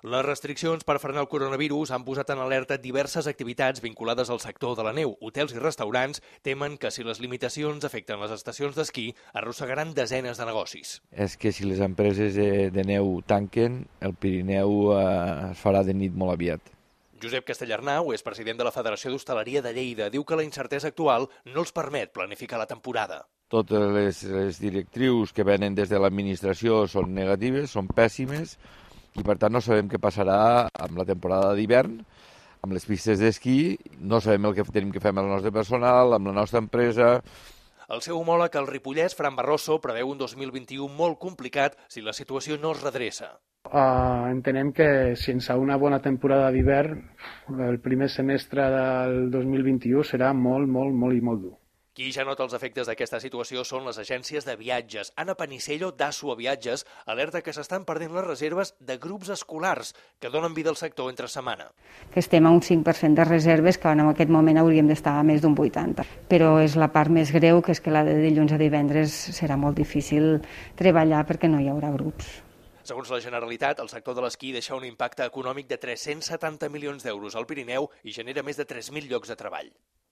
Les restriccions per frenar el coronavirus han posat en alerta diverses activitats vinculades al sector de la neu. Hotels i restaurants temen que si les limitacions afecten les estacions d'esquí arrossegaran desenes de negocis. És que si les empreses de neu tanquen, el Pirineu es farà de nit molt aviat. Josep Castellarnau és president de la Federació d'Hostaleria de Lleida. Diu que la incertesa actual no els permet planificar la temporada. Totes les directrius que venen des de l'administració són negatives, són pèssimes, i per tant no sabem què passarà amb la temporada d'hivern, amb les pistes d'esquí, no sabem el que tenim que fer amb el nostre personal, amb la nostra empresa. El seu homòleg, el ripollès, Fran Barroso, preveu un 2021 molt complicat si la situació no es redreça. Entenem que sense una bona temporada d'hivern, el primer semestre del 2021 serà molt dur. Qui ja nota els efectes d'aquesta situació són les agències de viatges. Anna Panicello, d'Assua Viatges, alerta que s'estan perdent les reserves de grups escolars que donen vida al sector entre setmana. Que estem a un 5% de reserves, que en aquest moment hauríem d'estar a més d'un 80%. Però és la part més greu, que és que la de dilluns a divendres serà molt difícil treballar perquè no hi haurà grups. Segons la Generalitat, el sector de l'esquí deixa un impacte econòmic de 370 milions d'euros al Pirineu i genera més de 3.000 llocs de treball.